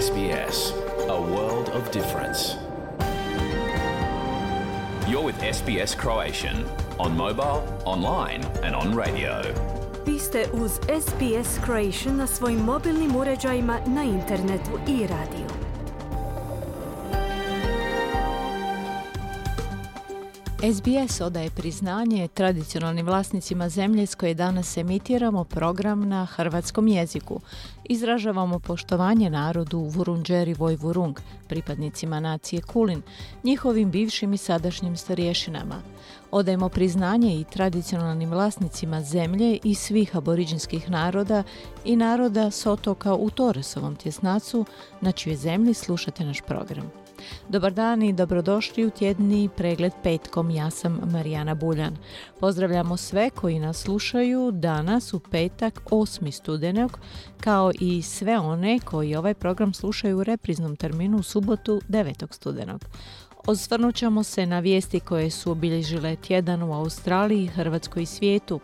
SBS, a world of difference. You're with SBS Croatian on mobile, online and on radio. Vi ste uz SBS Croatian na svojim mobilnim uređajima, na internetu i radiju. SBS odaje priznanje tradicionalnim vlasnicima zemlje s koje danas emitiramo program na hrvatskom jeziku. Izražavamo poštovanje narodu Vurundjeri Vojvurung, pripadnicima nacije Kulin, njihovim bivšim i sadašnjim starješinama. Odajemo priznanje i tradicionalnim vlasnicima zemlje i svih aboriđinskih naroda i naroda s otoka u Torresovom tjesnacu, na čijoj zemlji slušate naš program. Dobar dan i dobrodošli u tjedni pregled petkom. Ja sam Marijana Buljan. Pozdravljamo sve koji nas slušaju danas u petak 8. studenog, kao i sve one koji ovaj program slušaju u repriznom terminu u subotu 9. studenog. Osvrnut ćemo se na vijesti koje su obilježile tjedan u Australiji, Hrvatskoj i svijetu.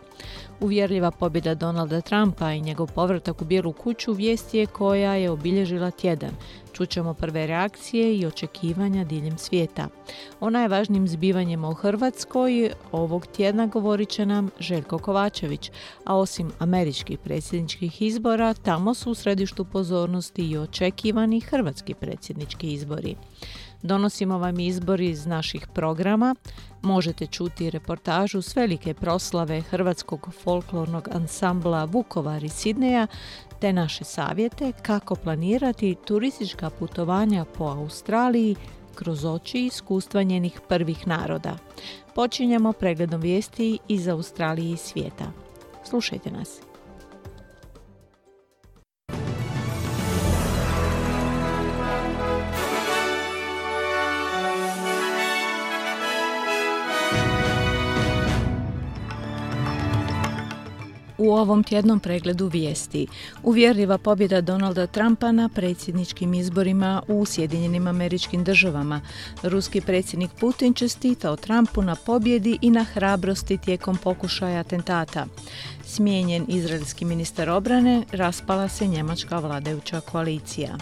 Uvjerljiva pobjeda Donalda Trumpa i njegov povratak u Bijelu kuću vijest je koja je obilježila tjedan. Čućemo prve reakcije i očekivanja diljem svijeta. O najvažnijim zbivanjima u Hrvatskoj ovog tjedna govorit će nam Željko Kovačević, a osim američkih predsjedničkih izbora, tamo su u središtu pozornosti i očekivani hrvatski predsjednički izbori. Donosimo vam izbor iz naših programa. Možete čuti reportažu s velike proslave hrvatskog folklornog ansambla Vukovar iz Sidneja, te naše savjete kako planirati turistička putovanja po Australiji kroz oči iskustva njenih prvih naroda. Počinjemo pregledom vijesti iz Australije i svijeta. Slušajte nas. U ovom tjednom pregledu vijesti uvjerljiva pobjeda Donalda Trumpa na predsjedničkim izborima u Sjedinjenim Američkim Državama. Ruski predsjednik Putin čestitao Trumpu na pobjedi i na hrabrosti tijekom pokušaja atentata. Smijenjen izraelski ministar obrane, raspala se njemačka vladajuća koalicija.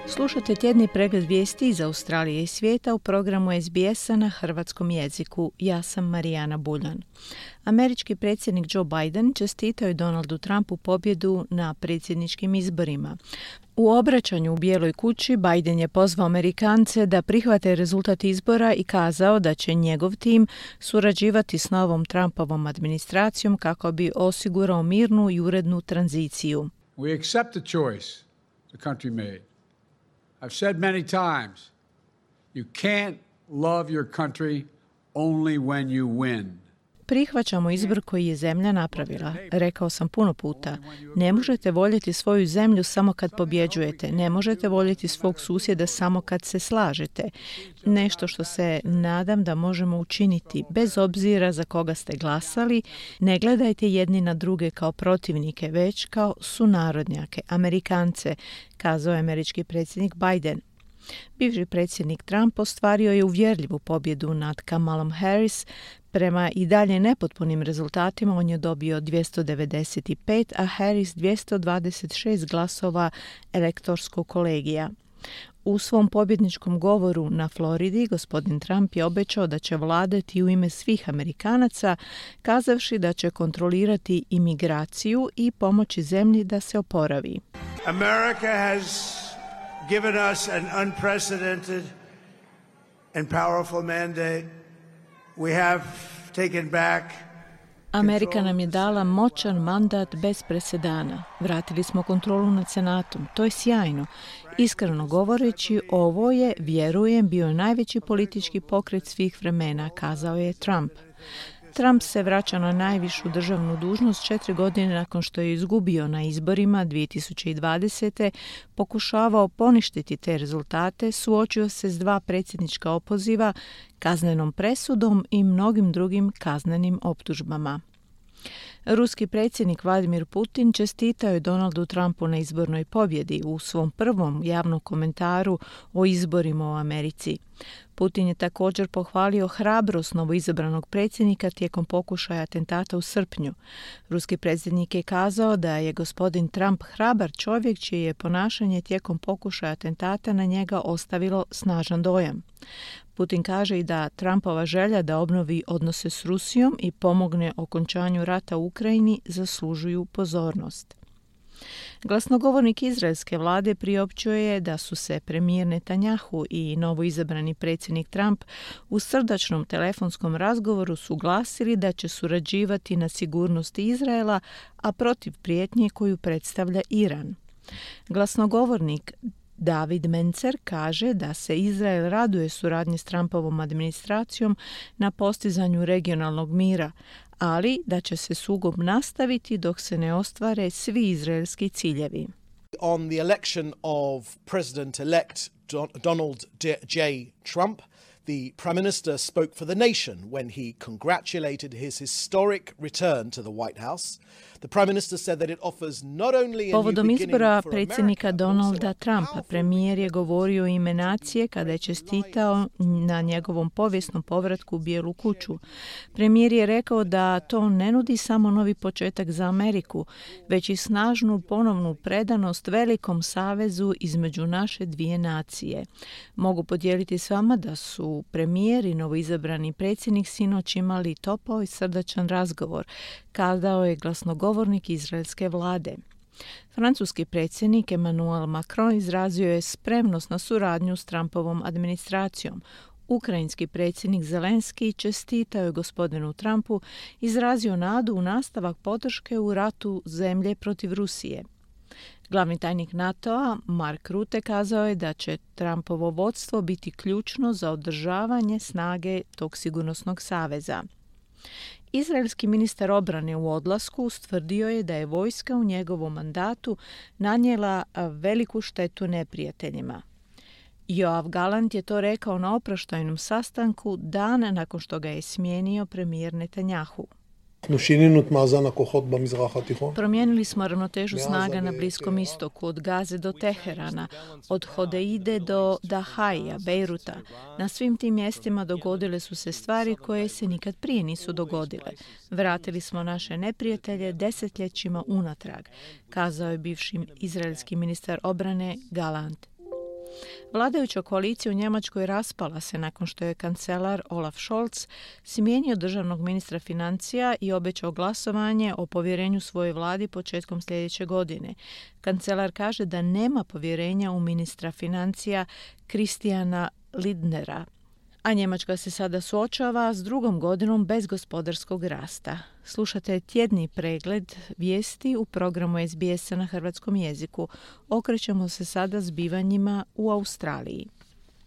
Slušate tjedni pregled vijesti iz Australije i svijeta u programu SBS-a na hrvatskom jeziku. Ja sam Marijana Buljan. Američki predsjednik Joe Biden čestitao je Donaldu Trumpu pobjedu na predsjedničkim izborima. U obraćanju u Bijeloj kući Biden je pozvao Amerikance da prihvate rezultat izbora i kazao da će njegov tim surađivati s novom Trumpovom administracijom kako bi osigurao mirnu i urednu tranziciju. We accept the choice the country made. I've said many times, you can't love your country only when you win. Prihvaćamo izbor koji je zemlja napravila. Rekao sam puno puta, ne možete voljeti svoju zemlju samo kad pobjeđujete, ne možete voljeti svog susjeda samo kad se slažete. Nešto što se nadam da možemo učiniti, bez obzira za koga ste glasali, ne gledajte jedni na druge kao protivnike, već kao sunarodnjake, Amerikance, kazao je američki predsjednik Biden. Bivši predsjednik Trump ostvario je uvjerljivu pobjedu nad Kamalom Harris. Prema i dalje nepotpunim rezultatima on je dobio 295, a Harris 226 glasova elektorskog kolegija. U svom pobjedničkom govoru na Floridi gospodin Trump je obećao da će vladati u ime svih Amerikanaca, kazavši da će kontrolirati imigraciju i pomoći zemlji da se oporavi. America has given us an unprecedented and powerful mandate. We have taken back. Amerika nam je dala moćan mandat bez presedana. Vratili smo kontrolu nad Senatom. To je sjajno. Iskreno govoreći, ovo je, vjerujem, bio najveći politički pokret svih vremena, kazao je Trump. Trump se vraća na najvišu državnu dužnost 4 godine nakon što je izgubio na izborima 2020. Pokušavao poništiti te rezultate, suočio se s 2 predsjednička opoziva, kaznenom presudom i mnogim drugim kaznenim optužbama. Ruski predsjednik Vladimir Putin čestitao je Donaldu Trumpu na izbornoj pobjedi u svom prvom javnom komentaru o izborima u Americi. Putin je također pohvalio hrabrost novoizabranog predsjednika tijekom pokušaja atentata u srpnju. Ruski predsjednik je kazao da je gospodin Trump hrabar čovjek čije je ponašanje tijekom pokušaja atentata na njega ostavilo snažan dojam. Putin kaže i da Trumpova želja da obnovi odnose s Rusijom i pomogne okončanju rata u Ukrajini zaslužuju pozornost. Glasnogovornik izraelske vlade priopćio je da su se premijer Netanjahu i novoizabrani predsjednik Trump u srdačnom telefonskom razgovoru suglasili da će surađivati na sigurnosti Izraela, a protiv prijetnje koju predstavlja Iran. Glasnogovornik David Mencer kaže da se Izrael raduje suradnji s Trumpovom administracijom na postizanju regionalnog mira, ali da će se sukob nastaviti dok se ne ostvare svi izraelski ciljevi. On the election of President-elect Donald J. Trump, the Prime Minister spoke for the nation when he congratulated his historic return to the White House. The Prime Minister said that it offers not only a new Povodom beginning izbora for predsjednika America, but also Donalda a Trumpa, powerful premijer je govorio u ime nacije kada je čestitao na njegovom povijesnom povratku u Bijelu kuću. Premijer je rekao da to ne nudi samo novi početak za Ameriku, već i snažnu ponovnu predanost velikom savezu između naše dvije nacije. Mogu podijeliti s vama da su premijer i novoizabrani predsjednik sinoć imali topao i srdačan razgovor, kazao je glasnogovornik izraelske vlade. Francuski predsjednik Emmanuel Macron izrazio je spremnost na suradnju s Trumpovom administracijom. Ukrajinski predsjednik Zelenski čestitao je gospodinu Trumpu, izrazio nadu u nastavak podrške u ratu zemlje protiv Rusije. Glavni tajnik NATO-a Mark Rutte kazao je da će Trumpovo vodstvo biti ključno za održavanje snage tog sigurnosnog saveza. Izraelski ministar obrane u odlasku ustvrdio je da je vojska u njegovom mandatu nanijela veliku štetu neprijateljima. Yoav Gallant je to rekao na oproštajnom sastanku dana nakon što ga je smijenio premijer Netanjahu. Promijenili smo ravnotežu snaga na Bliskom istoku, od Gaze do Teherana, od Hodeide do Dahaija, Bejruta. Na svim tim mjestima dogodile su se stvari koje se nikad prije nisu dogodile. Vratili smo naše neprijatelje desetljećima unatrag, kazao je bivši izraelski ministar obrane Gallant. Vladajuća koalicija u Njemačkoj raspala se nakon što je kancelar Olaf Scholz smijenio državnog ministra financija i obećao glasovanje o povjerenju svojoj vladi početkom sljedeće godine. Kancelar kaže da nema povjerenja u ministra financija Christiana Lindnera, a Njemačka se sada suočava s drugom godinom bez gospodarskog rasta. Slušate tjedni pregled vijesti u programu SBS-a na hrvatskom jeziku. Okrećemo se sada zbivanjima u Australiji.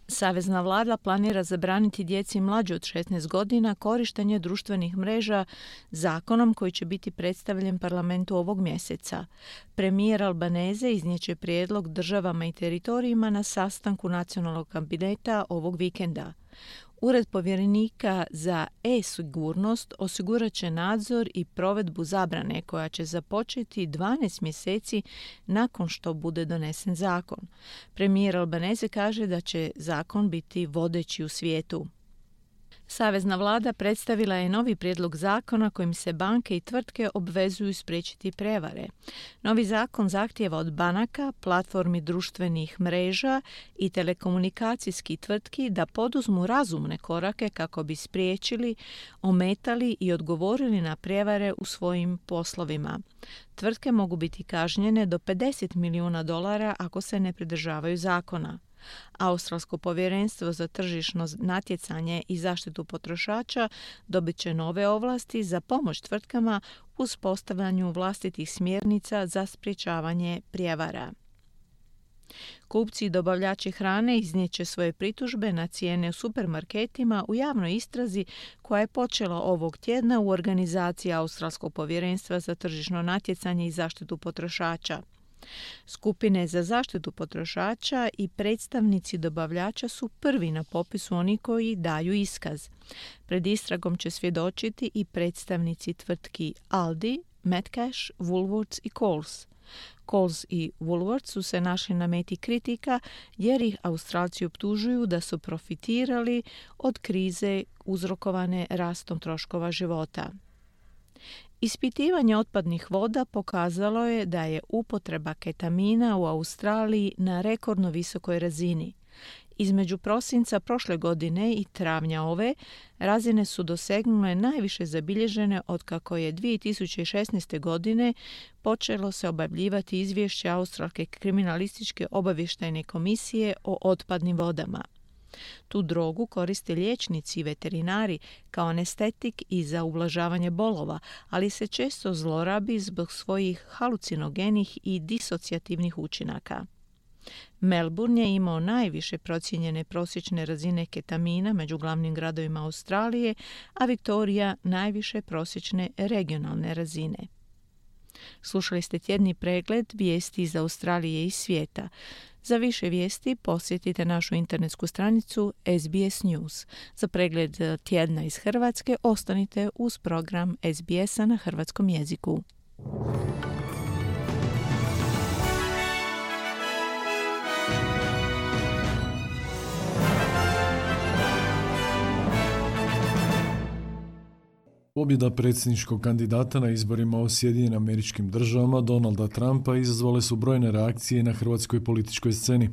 Savezna vlada planira zabraniti djeci mlađe od 16 godina korištenje društvenih mreža zakonom koji će biti predstavljen parlamentu ovog mjeseca. Premijer Albanese iznijeće prijedlog državama i teritorijima na sastanku nacionalnog kabineta ovog vikenda. Ured povjerenika za e-sigurnost osigurat će nadzor i provedbu zabrane koja će započeti 12 mjeseci nakon što bude donesen zakon. Premijer Albanese kaže da će zakon biti vodeći u svijetu. Savezna vlada predstavila je novi prijedlog zakona kojim se banke i tvrtke obvezuju spriječiti prevare. Novi zakon zahtijeva od banaka, platformi društvenih mreža i telekomunikacijskih tvrtki da poduzmu razumne korake kako bi spriječili, ometali i odgovorili na prevare u svojim poslovima. Tvrtke mogu biti kažnjene do $50 milijuna ako se ne pridržavaju zakona. Australsko povjerenstvo za tržišno natjecanje i zaštitu potrošača dobit će nove ovlasti za pomoć tvrtkama u uspostavljanju vlastitih smjernica za sprječavanje prijevara. Kupci i dobavljači hrane iznijet će svoje pritužbe na cijene u supermarketima u javnoj istrazi koja je počela ovog tjedna u organizaciji Australskog povjerenstva za tržišno natjecanje i zaštitu potrošača. Skupine za zaštitu potrošača i predstavnici dobavljača su prvi na popisu oni koji daju iskaz. Pred istragom će svjedočiti i predstavnici tvrtki Aldi, Metcash, Woolworths i Coles. Coles i Woolworths su se našli na meti kritika jer ih Australci optužuju da su profitirali od krize uzrokovane rastom troškova života. Ispitivanje otpadnih voda pokazalo je da je upotreba ketamina u Australiji na rekordno visokoj razini. Između prosinca prošle godine i travnja ove, razine su dosegnule najviše zabilježene otkako je 2016. godine počelo se objavljivati izvješće Australske kriminalističke obavještajne komisije o otpadnim vodama. Tu drogu koriste liječnici i veterinari kao anestetik i za ublažavanje bolova, ali se često zlorabi zbog svojih halucinogenih i disocijativnih učinaka. Melbourne je imao najviše procijenjene prosječne razine ketamina među glavnim gradovima Australije, a Viktorija najviše prosječne regionalne razine. Slušali ste tjedni pregled vijesti iz Australije i svijeta. Za više vijesti posjetite našu internetsku stranicu SBS News. Za pregled tjedna iz Hrvatske ostanite uz program SBS-a na hrvatskom jeziku. Pobjeda predsjedničkog kandidata na izborima u Sjedinjenim Američkim Državama Donalda Trumpa izazvale su brojne reakcije na hrvatskoj političkoj sceni.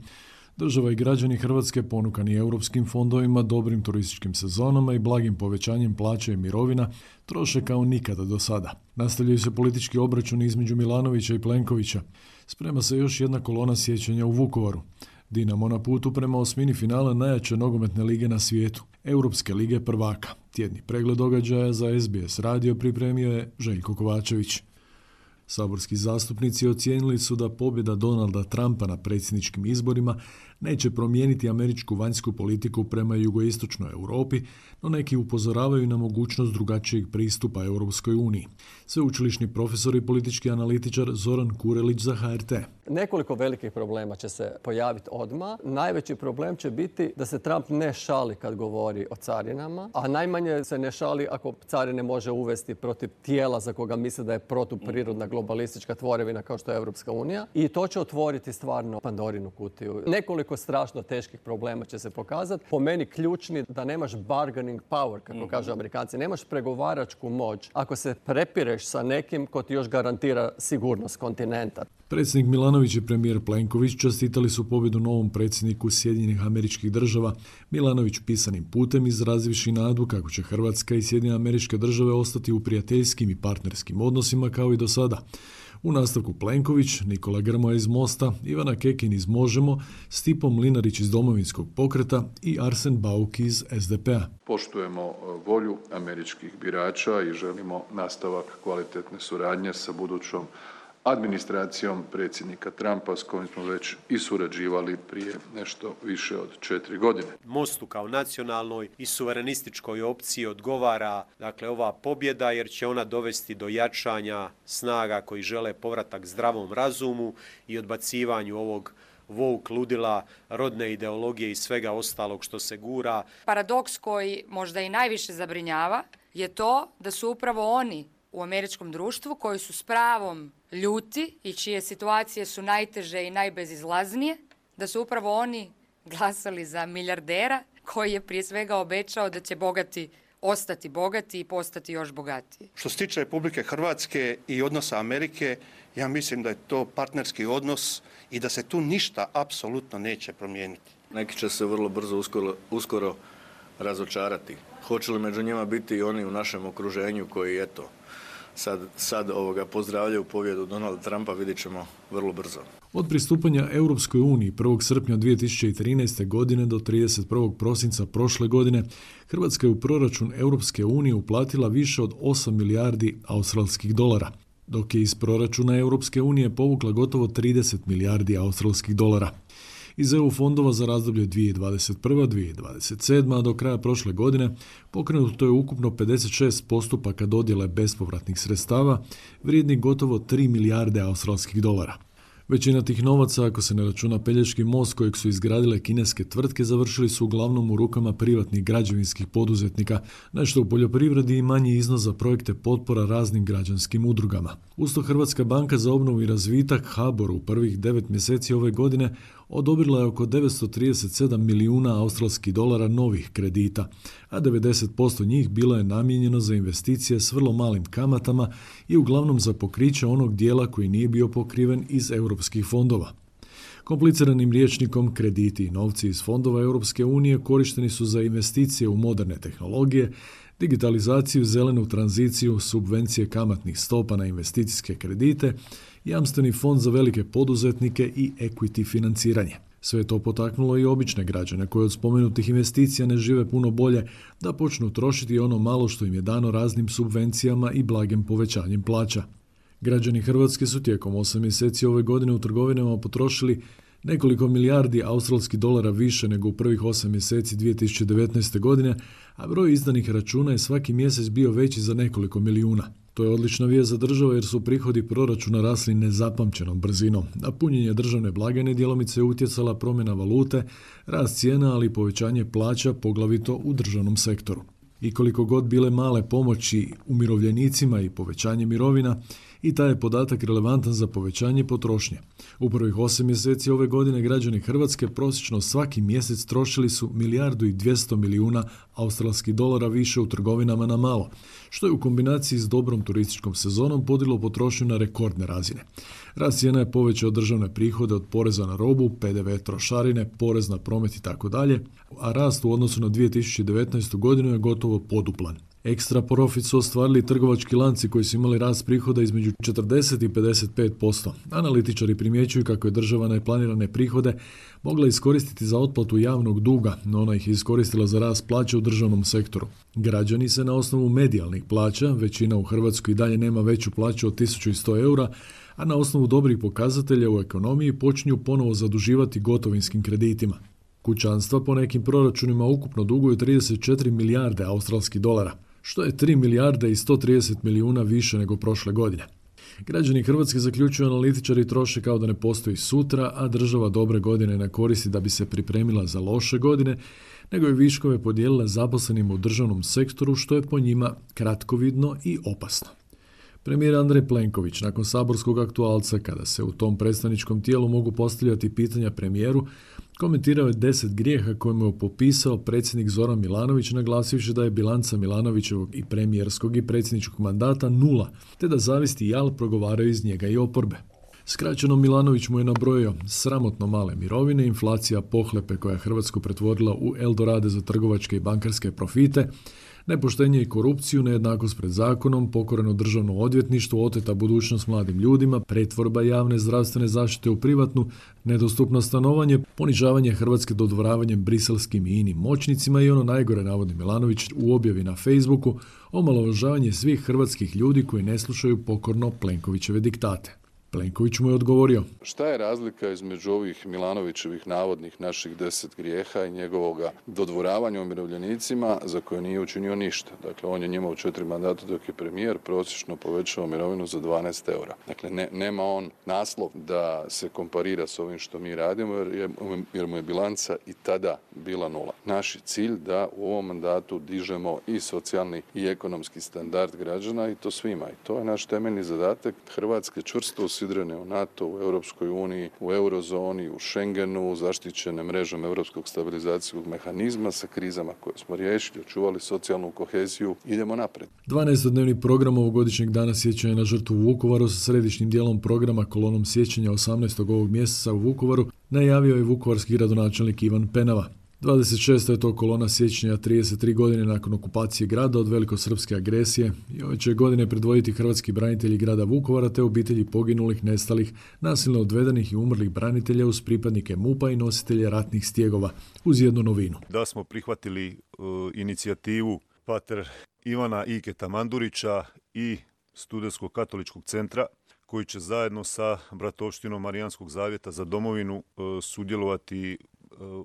Država i građani Hrvatske ponukani europskim fondovima, dobrim turističkim sezonama i blagim povećanjem plaća i mirovina troše kao nikada do sada. Nastavljaju se politički obračuni između Milanovića i Plenkovića. Sprema se još jedna kolona sjećanja u Vukovaru. Dinamo na putu prema osmini finala najjače nogometne lige na svijetu, Europske lige prvaka. Tjedni pregled događaja za SBS radio pripremio je Željko Kovačević. Saborski zastupnici ocijenili su da pobjeda Donalda Trumpa na predsjedničkim izborima neće promijeniti američku vanjsku politiku prema jugoistočnoj Europi, no neki upozoravaju na mogućnost drugačijeg pristupa Europskoj uniji. Sveučilišni profesor i politički analitičar Zoran Kurelić za HRT. Nekoliko velikih problema će se pojaviti odmah. Najveći problem će biti da se Trump ne šali kad govori o carinama, a najmanje se ne šali ako carine može uvesti protiv tijela za koga misle da je protuprirodna globalistička tvorevina kao što je Europska unija. I to će otvoriti stvarno Pandorinu kutiju. Nekoliko strašno teških problema će se pokazati. Po meni ključni da nemaš bargaining power, kako kažu Amerikanci. Nemaš pregovaračku moć ako se prepireš sa nekim ko ti još garantira sigurnost kontinenta. Predsjednik Milanović i premijer Plenković čestitali su pobjedu novom predsjedniku Sjedinjenih Američkih Država. Milanović pisanim putem izrazivši nadu kako će Hrvatska i Sjedinjene Američke Države ostati u prijateljskim i partnerskim odnosima kao i do sada. U nastavku Plenković, Nikola Grmoja iz Mosta, Ivana Kekin iz Možemo, Stipo Mlinarić iz Domovinskog pokreta i Arsen Bauk iz SDP-a. Poštujemo volju američkih birača i želimo nastavak kvalitetne suradnje sa budućom administracijom predsjednika Trumpa s kojim smo već i surađivali prije nešto više od 4 godine. Mostu kao nacionalnoj i suverenističkoj opciji odgovara ova pobjeda jer će ona dovesti do jačanja snaga koji žele povratak zdravom razumu i odbacivanju ovog woke ludila, rodne ideologije i svega ostalog što se gura. Paradoks koji možda i najviše zabrinjava je to da su upravo oni u američkom društvu koji su s pravom ljuti i čije situacije su najteže i najbezizlaznije, da su upravo oni glasali za milijardera koji je prije svega obećao da će bogati ostati bogati i postati još bogatiji. Što se tiče Republike Hrvatske i odnosa Amerike, ja mislim da je to partnerski odnos i da se tu ništa apsolutno neće promijeniti. Neki će se vrlo brzo uskoro razočarati. Hoće li među njima biti i oni u našem okruženju koji sad pozdravljaju pobjedu Donalda Trumpa, vidjet ćemo vrlo brzo. Od pristupanja Europskoj uniji 1. srpnja 2013. godine do 31. prosinca prošle godine, Hrvatska je u proračun Europske unije uplatila više od 8 milijardi australskih dolara, dok je iz proračuna Europske unije povukla gotovo 30 milijardi australskih dolara. Iz EU fondova za razdoblje 2021-2027, a do kraja prošle godine pokrenuto je ukupno 56 postupaka dodjele bespovratnih sredstava vrijednih gotovo 3 milijarde australskih dolara. Većina tih novaca, ako se ne računa Pelješki most kojeg su izgradile kineske tvrtke, završili su uglavnom u rukama privatnih građevinskih poduzetnika, nešto u poljoprivredi i manji iznos za projekte potpora raznim građanskim udrugama. Usto Hrvatska banka za obnovu i razvitak HBOR u prvih 9 mjeseci ove godine odobrila je oko 937 milijuna australskih dolara novih kredita, a 90% njih bilo je namijenjeno za investicije s vrlo malim kamatama i uglavnom za pokriće onog dijela koji nije bio pokriven iz europskih fondova. Kompliciranim rječnikom, krediti i novci iz fondova Europske unije korišteni su za investicije u moderne tehnologije, digitalizaciju, zelenu tranziciju, subvencije kamatnih stopa na investicijske kredite, jamstveni fond za velike poduzetnike i equity financiranje. Sve je to potaknulo i obične građane koji od spomenutih investicija ne žive puno bolje da počnu trošiti ono malo što im je dano raznim subvencijama i blagim povećanjem plaća. Građani Hrvatske su tijekom 8 mjeseci ove godine u trgovinama potrošili nekoliko milijardi australskih dolara više nego u prvih 8 mjeseci 2019. godine, a broj izdanih računa je svaki mjesec bio veći za nekoliko milijuna. To je odlična vijest za državu jer su prihodi proračuna rasli nezapamćenom brzinom. Na punjenje državne blagajne djelomice je utjecala promjena valute, rast cijena, ali i povećanje plaća, poglavito u državnom sektoru. I koliko god bile male pomoći umirovljenicima i povećanje mirovina, i taj je podatak relevantan za povećanje potrošnje. U prvih 8 mjeseci ove godine građani Hrvatske prosječno svaki mjesec trošili su 1,2 milijarde australskih dolara više u trgovinama na malo, što je u kombinaciji s dobrom turističkom sezonom podiglo potrošnju na rekordne razine. Rast cijena je povećao državne prihode od poreza na robu, PDV, trošarine, porez na promet itd., a rast u odnosu na 2019. godinu je gotovo poduplan. Ekstra profit su ostvarili trgovački lanci koji su imali rast prihoda između 40 i 55%. Analitičari primjećuju kako je država neplanirane prihode mogla iskoristiti za otplatu javnog duga, no ona ih je iskoristila za rast plaća u državnom sektoru. Građani se na osnovu medijalnih plaća, većina u Hrvatskoj i dalje nema veću plaću od 1100 eura, a na osnovu dobrih pokazatelja u ekonomiji počinju ponovo zaduživati gotovinskim kreditima. Kućanstva po nekim proračunima ukupno duguju 34 milijarde australskih dolara, što je 3 milijarde i 130 milijuna više nego prošle godine. Građani Hrvatske, zaključuju analitičari, troše kao da ne postoji sutra, a država dobre godine ne koristi da bi se pripremila za loše godine, nego je viškove podijelila zaposlenima u državnom sektoru, što je po njima kratkovidno i opasno. Premijer Andrej Plenković, nakon saborskog aktualca, kada se u tom predstavničkom tijelu mogu postavljati pitanja premijeru, komentirao je 10 grijeha kojima je popisao predsjednik Zoran Milanović, naglasivši da je bilanca Milanovićevog i premijerskog i predsjedničkog mandata 0, te da zavisti i jal progovaraju iz njega i oporbe. Skraćeno, Milanović mu je nabrojio sramotno male mirovine, inflacija pohlepe koja je Hrvatsku pretvorila u Eldorade za trgovačke i bankarske profite, nepoštenje i korupciju, nejednakost pred zakonom, pokoreno državno odvjetništvo, oteta budućnost mladim ljudima, pretvorba javne zdravstvene zaštite u privatnu, nedostupno stanovanje, ponižavanje Hrvatske dodvoravanjem briselskim i inim moćnicima i ono najgore, navodi Milanović u objavi na Facebooku, omalovažavanje svih hrvatskih ljudi koji ne slušaju pokorno Plenkovićeve diktate. Plenković mu je odgovorio: Šta je razlika između ovih Milanovićevih navodnih naših 10 grijeha i njegovoga dodvoravanja umirovljenicima za koje nije učinio ništa? Dakle, on je njima u 4 mandata dok je premijer prosječno povećao mirovinu za 12 eura. Dakle, nema on naslov da se komparira s ovim što mi radimo jer mu je bilanca i tada bila 0. Naš je cilj da u ovom mandatu dižemo i socijalni i ekonomski standard građana i to svima. I to je naš temeljni zadatak. Hrvatske čvrsto usidrene u NATO, u Europskoj uniji, u eurozoni, u Schengenu, zaštićene mrežom Europskog stabilizacijskog mehanizma sa krizama koje smo riješili, očuvali socijalnu koheziju, idemo naprijed. 12-dnevni program ovogodišnjeg dana sjećanja na žrtvu u Vukovaru sa središnjim dijelom programa kolonom sjećanja 18. ovog mjeseca u Vukovaru najavio je vukovarski gradonačelnik Ivan Penava. 26. je to kolona sjećanja 33 godine nakon okupacije grada od velikosrpske agresije i ove će godine predvoditi hrvatski branitelji grada Vukovara te obitelji poginulih, nestalih, nasilno odvedenih i umrlih branitelja uz pripadnike MUP-a i nositelje ratnih stjegova, uz jednu novinu. Da smo prihvatili inicijativu pater Ivana Iketa Mandurića i Studentskog katoličkog centra koji će zajedno sa bratovštinom Marijanskog zavjeta za domovinu sudjelovati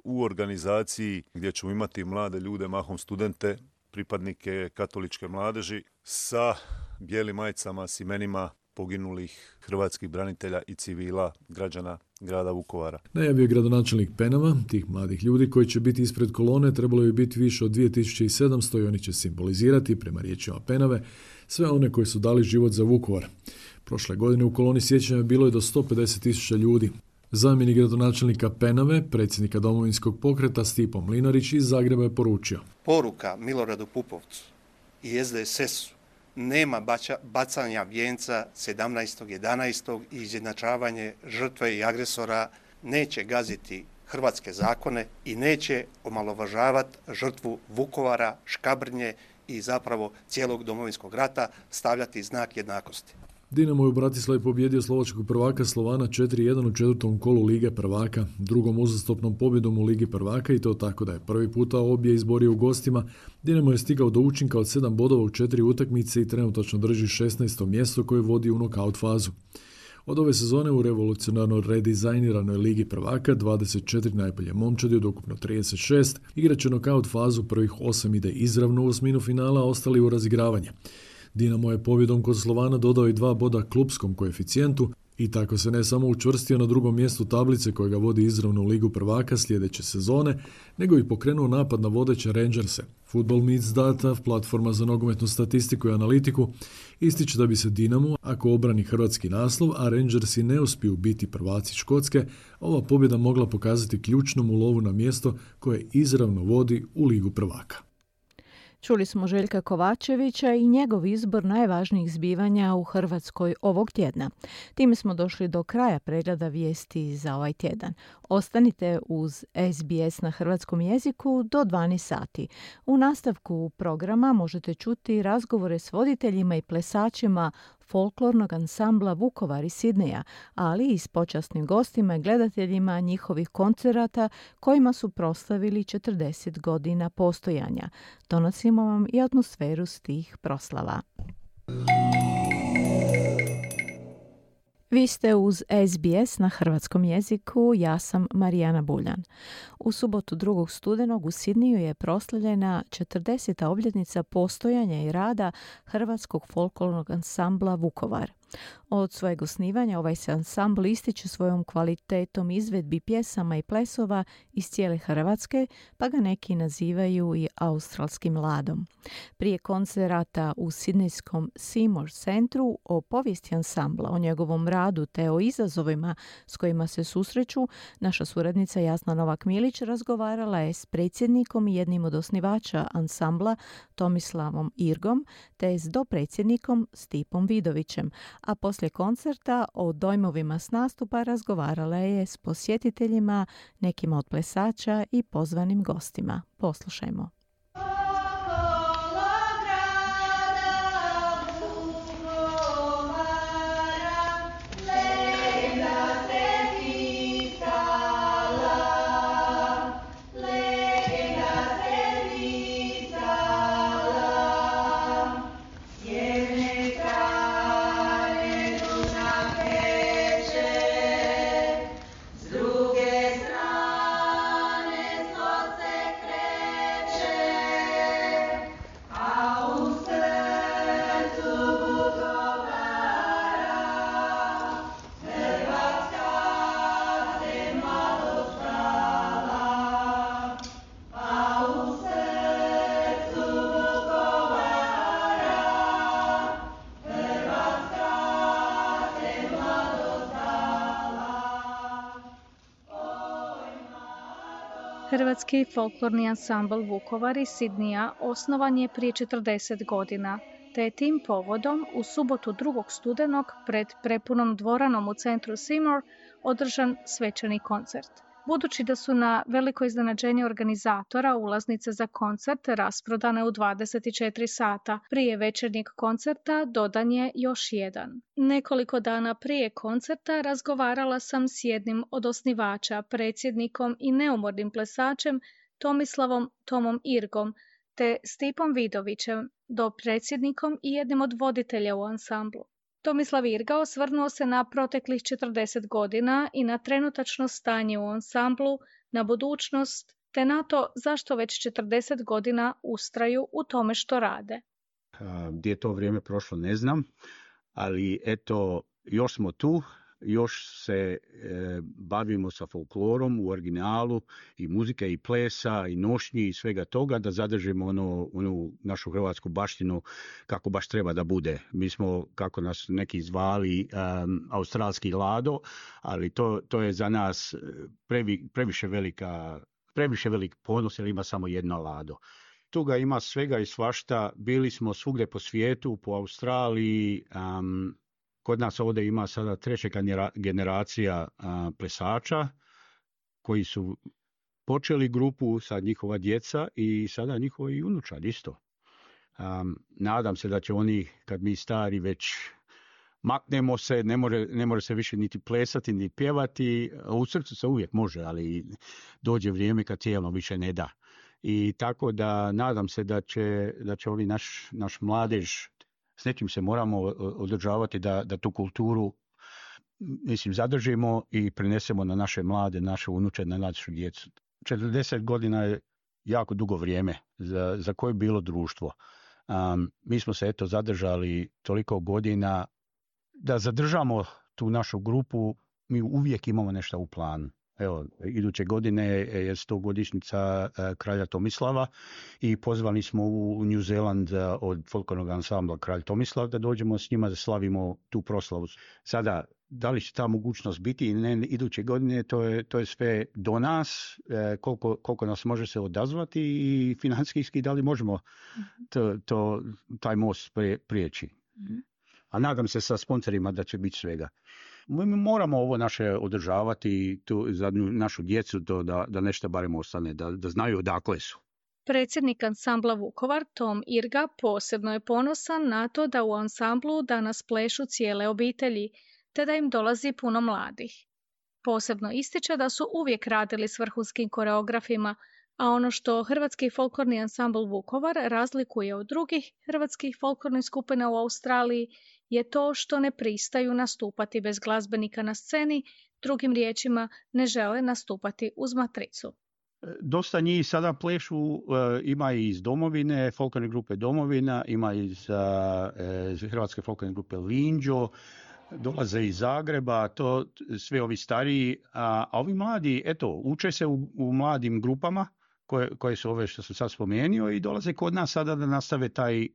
u organizaciji gdje ćemo imati mlade ljude, mahom studente, pripadnike katoličke mladeži sa bijelim majicama s imenima poginulih hrvatskih branitelja i civila građana grada Vukovara. Najavio je gradonačelnik Penava. Tih mladih ljudi koji će biti ispred kolone trebalo je biti više od 2700 i oni će simbolizirati, prema riječima Penave, sve one koji su dali život za Vukovar. Prošle godine u koloni sjećanja bilo je do 150.000 ljudi. Zamjenik gradonačelnika Penave, predsjednika Domovinskog pokreta Stipo Mlinarić iz Zagreba je poručio. Poruka Miloradu Pupovcu i SDSS-u: nema bacanja vijenca 17.11. i izjednačavanje žrtve i agresora neće gaziti hrvatske zakone i neće omalovažavati žrtvu Vukovara, Škabrnje i zapravo cijelog Domovinskog rata, stavljati znak jednakosti. Dinamo je u Bratislavi pobjedio slovačkog prvaka Slovana 4-1 u četvrtom kolu Lige prvaka, drugom uzastopnom pobjedom u Ligi prvaka i to tako da je prvi puta obje izborio u gostima. Dinamo je stigao do učinka od 7 bodova u 4 utakmice i trenutačno drži 16. mjesto koje vodi u nokaut fazu. Od ove sezone u revolucionarno redizajniranoj Ligi prvaka 24 najbolje momčadi od ukupno 36 igraće nokaut fazu, prvih 8 ide izravno u osminu finala, a ostali u razigravanje. Dinamo je pobjedom kod Slovana dodao i 2 boda klupskom koeficijentu i tako se ne samo učvrstio na drugom mjestu tablice koja ga vodi izravno u Ligu prvaka sljedeće sezone, nego i pokrenuo napad na vodeće Rangerse. Football Meets Data, platforma za nogometnu statistiku i analitiku, ističe da bi se Dinamo, ako obrani hrvatski naslov, a Rangersi ne uspiju biti prvaci Škotske, ova pobjeda mogla pokazati ključnom ulovu na mjesto koje izravno vodi u Ligu prvaka. Čuli smo Željka Kovačevića i njegov izbor najvažnijih zbivanja u Hrvatskoj ovog tjedna. Time smo došli do kraja pregleda vijesti za ovaj tjedan. Ostanite uz SBS na hrvatskom jeziku do 12 sati. U nastavku programa možete čuti razgovore s voditeljima i plesačima folklornog ansambla Vukovar iz Sidneja, ali i s počasnim gostima i gledateljima njihovih koncerata kojima su proslavili 40 godina postojanja. Donosimo vam i atmosferu s tih proslava. Vi ste uz SBS na hrvatskom jeziku, ja sam Marijana Buljan. U subotu 2. studenog u Sidniju je proslavljena 40. obljetnica postojanja i rada Hrvatskog folklornog ansambla Vukovar. Od svojeg osnivanja ovaj se ansambl ističe svojom kvalitetom izvedbi pjesama i plesova iz cijele Hrvatske, pa ga neki nazivaju i australskim ladom. Prije koncerata u sidnejskom Seymour centru o povijesti ansambla, o njegovom radu te o izazovima s kojima se susreću, naša suradnica Jasna Novak-Milić razgovarala je s predsjednikom i jednim od osnivača ansambla Tomislavom Irgom te s dopredsjednikom Stipom Vidovićem, a poslije koncerta o dojmovima s nastupa razgovarala je s posjetiteljima, nekima od plesača i pozvanim gostima. Poslušajmo. Hrvatski folklorni ansambl Vukovar iz Sidnija osnovan je prije 40 godina, te je tim povodom u subotu 2. studenog pred prepunom dvoranom u centru Seymour održan svečani koncert. Budući da su na veliko iznenađenje organizatora ulaznice za koncert rasprodane u 24 sata, prije večernjeg koncerta dodan je još jedan. Nekoliko dana prije koncerta razgovarala sam s jednim od osnivača, predsjednikom i neumornim plesačem Tomislavom Tomom Irgom, te Stipom Vidovićem, dopredsjednikom i jednim od voditelja u ansamblu. Tomislav Irga osvrnuo se na proteklih 40 godina i na trenutačno stanje u ansamblu, na budućnost, te na to zašto već 40 godina ustraju u tome što rade. Gdje je to vrijeme prošlo ne znam, ali eto, još smo tu, još se bavimo sa folklorom u originalu i muzike i plesa i nošnji i svega toga, da zadržimo onu našu hrvatsku baštinu kako baš treba da bude. Mi smo, kako nas neki zvali, australski Lado, ali to je za nas previše velik ponos, jer ima samo jedno Lado. Tu ga ima svega i svašta. Bili smo svugdje po svijetu, po Australiji. Kod nas ovdje ima sada treća generacija plesača koji su počeli grupu, sad njihova djeca i sada njihovi unučad isto. Nadam se da će oni, kad mi stari već maknemo se, ne može se više niti plesati, ni pjevati. U srcu se uvijek može, ali dođe vrijeme kad tijelo više ne da. I tako da nadam se da će ovi naš mladež, s nečim se moramo održavati da tu kulturu zadržimo i prenesemo na naše mlade, naše unuče, na našu djecu. 40 godina je jako dugo vrijeme za koje je bilo društvo. Mi smo se zadržali toliko godina da zadržamo tu našu grupu. Mi uvijek imamo nešto u planu. Evo, iduće godine je 100-godišnjica kralja Tomislava i pozvani smo u New Zealand od folklornog ansambla Kralj Tomislav da dođemo s njima da slavimo tu proslavu. Sada, da li će ta mogućnost biti ili ne iduće godine, to je sve do nas, koliko nas može se odazvati i financijski da li možemo taj most prijeći. A nadam se sa sponsorima da će biti svega. Mi moramo ovo naše održavati za našu djecu, da nešto barem ostane, da znaju odakle su. Predsjednik ansambla Vukovar, Tom Irga, posebno je ponosan na to da u ansamblu danas plešu cijele obitelji, te da im dolazi puno mladih. Posebno ističe da su uvijek radili s vrhunskim koreografima, a ono što Hrvatski folklorni ansambl Vukovar razlikuje od drugih hrvatskih folklornih skupina u Australiji je to što ne pristaju nastupati bez glazbenika na sceni, drugim riječima ne žele nastupati uz matricu. Dosta njih sada plešu, ima i iz Domovine, folklorne grupe Domovina, ima iz Hrvatske folklorne grupe Linđo, dolaze iz Zagreba, to sve ovi stariji, a ovi mladi, uče se u mladim grupama, koje su ove što sam sad spomenuo i dolaze kod nas sada da nastave taj,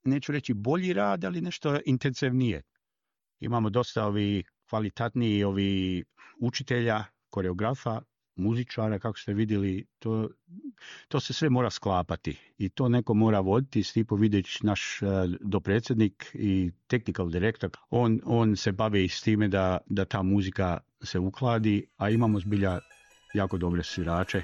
neću reći bolji rad, ali nešto intenzivnije. Imamo dosta ovi kvalitetniji učitelja, koreografa, muzičara, kako ste vidjeli, to se sve mora sklapati i to neko mora voditi. Stipo Vidić, naš dopredsjednik i technical director, on se bavi s time da ta muzika se ukladi, a imamo zbilja jako dobre svirače.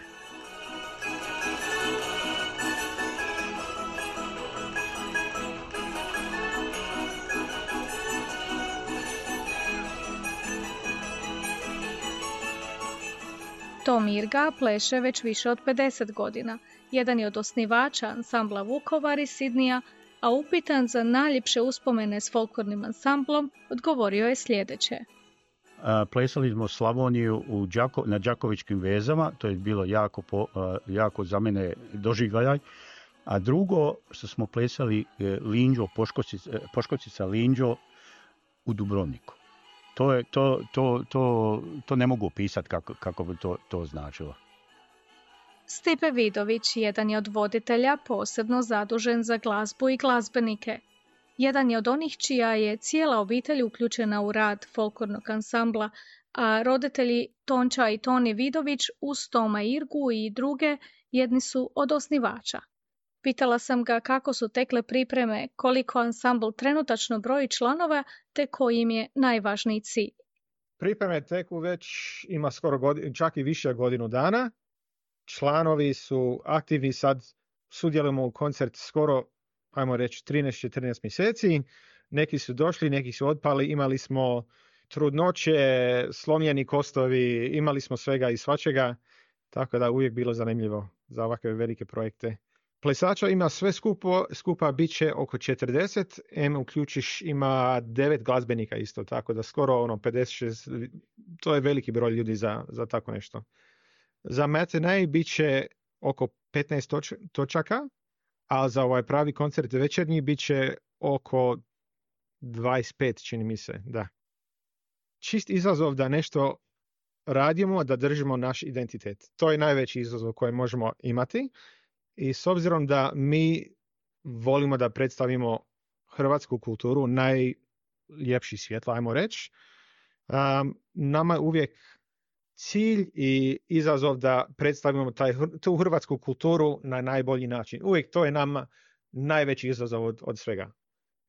Tom Irga pleše već više od 50 godina. Jedan je od osnivača ansambla Vukovar iz Sidnija, a upitan za najljepše uspomene s folklornim ansamblom, odgovorio je sljedeće. Plesali smo Slavoniju na Đakovičkim vezama, to je bilo jako za mene doživljaj. A drugo, što smo plesali Linđo, Poškocica Linđo u Dubrovniku. To ne mogu opisati kako bi to značilo. Stipe Vidović jedan je od voditelja posebno zadužen za glazbu i glazbenike. Jedan je od onih čija je cijela obitelj uključena u rad folklornog ansambla, a roditelji Tonča i Toni Vidović uz Toma Irgu i druge jedni su od osnivača. Pitala sam ga kako su tekle pripreme, koliko ansambl trenutačno broji članova, te koji im je najvažniji cilj. Pripreme teku već ima skoro čak i više godinu dana. Članovi su aktivni, sad sudjelujemo u koncert skoro, ajmo reći, 13-14 mjeseci. Neki su došli, neki su otpali, imali smo trudnoće, slomljeni kostovi, imali smo svega i svačega, tako da uvijek bilo zanimljivo za ovakve velike projekte. Plesača ima sve skupa bit će oko 40, uključiš ima 9 glazbenika isto, tako da skoro 56, to je veliki broj ljudi za tako nešto. Za matinee bit će oko 15 točaka, a za ovaj pravi koncert večernji bit će oko 25, čini mi se, da. Čist izazov da nešto radimo, da držimo naš identitet. To je najveći izazov koji možemo imati. I s obzirom da mi volimo da predstavimo hrvatsku kulturu najljepši svjetlo, ajmo reći, nama je uvijek cilj i izazov da predstavimo tu hrvatsku kulturu na najbolji način. Uvijek to je nama najveći izazov od svega.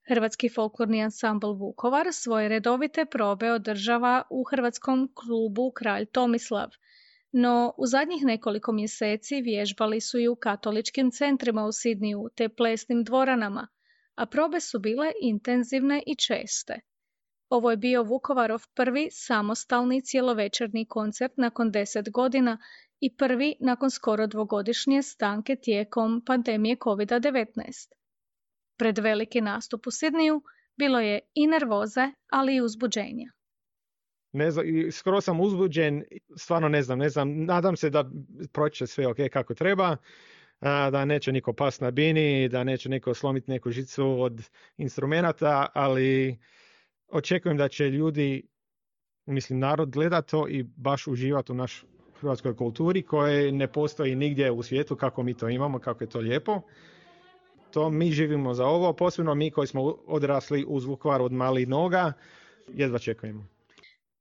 Hrvatski folklorni ansambl Vukovar svoje redovite probe održava u hrvatskom klubu Kralj Tomislav, no u zadnjih nekoliko mjeseci vježbali su i u katoličkim centrima u Sidniju te plesnim dvoranama, a probe su bile intenzivne i česte. Ovo je bio Vukovarov prvi samostalni cjelovečernji koncert nakon 10 godina i prvi nakon skoro 2-godišnje stanke tijekom pandemije COVID-19. Pred veliki nastup u Sidniju bilo je i nervoze, ali i uzbuđenja. Ne znam, skoro sam uzbuđen, stvarno ne znam, nadam se da proći sve ok kako treba, da neće niko past na bini, da neće niko slomiti neku žicu od instrumenata, ali očekujem da će ljudi, narod gleda to i baš uživati u našoj hrvatskoj kulturi koje ne postoji nigdje u svijetu kako mi to imamo, kako je to lijepo. To mi živimo za ovo, posebno mi koji smo odrasli uz Vukovar od malih noga, jedva čekujemo.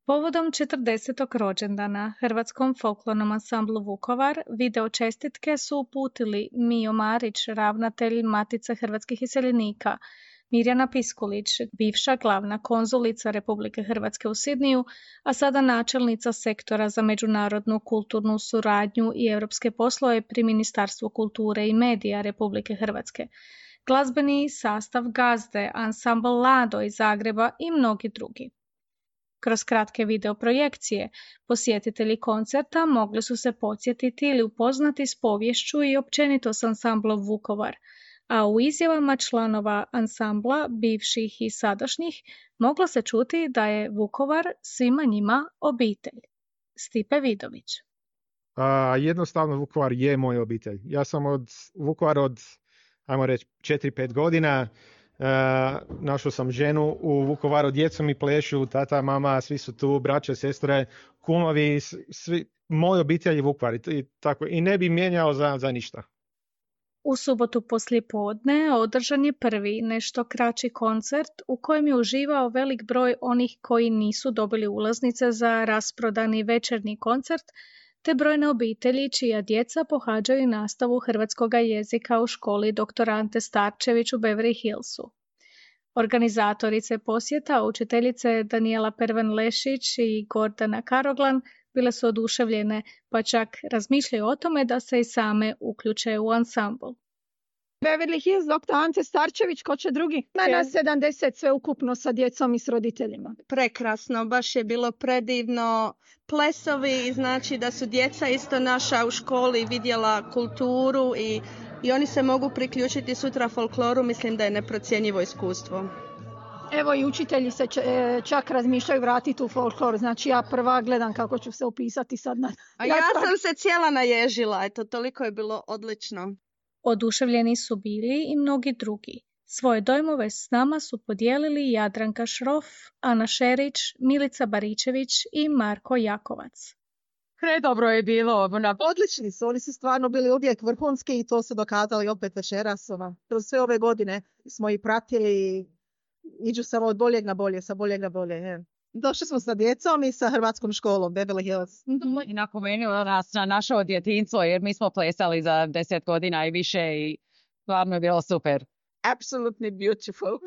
Povodom 40. rođendana Hrvatskom folklornom ansamblu Vukovar video čestitke su uputili Mijo Marić, ravnatelj Matice hrvatskih iseljenika, Mirjana Piskulić, bivša glavna konzulica Republike Hrvatske u Sidniju, a sada načelnica sektora za međunarodnu kulturnu suradnju i europske poslove pri Ministarstvu kulture i medija Republike Hrvatske, glazbeni sastav Gazde, ansambl Lado iz Zagreba i mnogi drugi. Kroz kratke videoprojekcije posjetitelji koncerta mogli su se podsjetiti ili upoznati s poviješću i općenito s ansamblom Vukovar, a u izjavama članova ansambla, bivših i sadašnjih, moglo se čuti da je Vukovar svima njima obitelj. Stipe Vidović. Jednostavno Vukovar je moj obitelj. Ja sam od Vukovara od, ajmo reći, 4-5 godina. Našao sam ženu u Vukovaru, djecu mi plešu, tata, mama, svi su tu, braće, sestre, kumovi, svi, moj obitelj je Vukovar i ne bi mijenjao za ništa. U subotu poslijepodne održan je prvi nešto kraći koncert u kojem je uživao velik broj onih koji nisu dobili ulaznice za rasprodani večernji koncert, te brojne obitelji čija djeca pohađaju nastavu hrvatskog jezika u školi dr. Ante Starčević u Beverly Hillsu. Organizatorice posjeta, učiteljice Danijela Pervan-Lešić i Gordana Karoglan, bile su oduševljene, pa čak razmišljaju o tome da se i same uključe u ansambl. Beverly Hills, dr. Ante Starčević, ko će drugi? Na 70 sve ukupno sa djecom i s roditeljima. Prekrasno, baš je bilo predivno. Plesovi, znači da su djeca isto naša u školi vidjela kulturu i oni se mogu priključiti sutra folkloru, mislim da je neprocjenjivo iskustvo. Evo i učitelji se čak razmišljaju vratiti u folklor, znači ja prva gledam kako ću se upisati sad na... A ja sam se cijela naježila, eto, toliko je bilo odlično. Oduševljeni su bili i mnogi drugi. Svoje dojmove s nama su podijelili Jadranka Šrof, Ana Šerić, Milica Baričević i Marko Jakovac. Predobro je bilo. Odlični su, oni su stvarno bili uvijek vrhunski i to su dokazali opet večeras. Kroz sve ove godine smo ih pratili i iđu samo od boljeg na bolje, sa boljeg na bolje. Je. Došli smo sa djecom i sa hrvatskom školom, Beverly Hills. I napomenula nas na naše djetinjstvo jer mi smo plesali za 10 godina i više i stvarno je bilo super. Absolutely beautiful.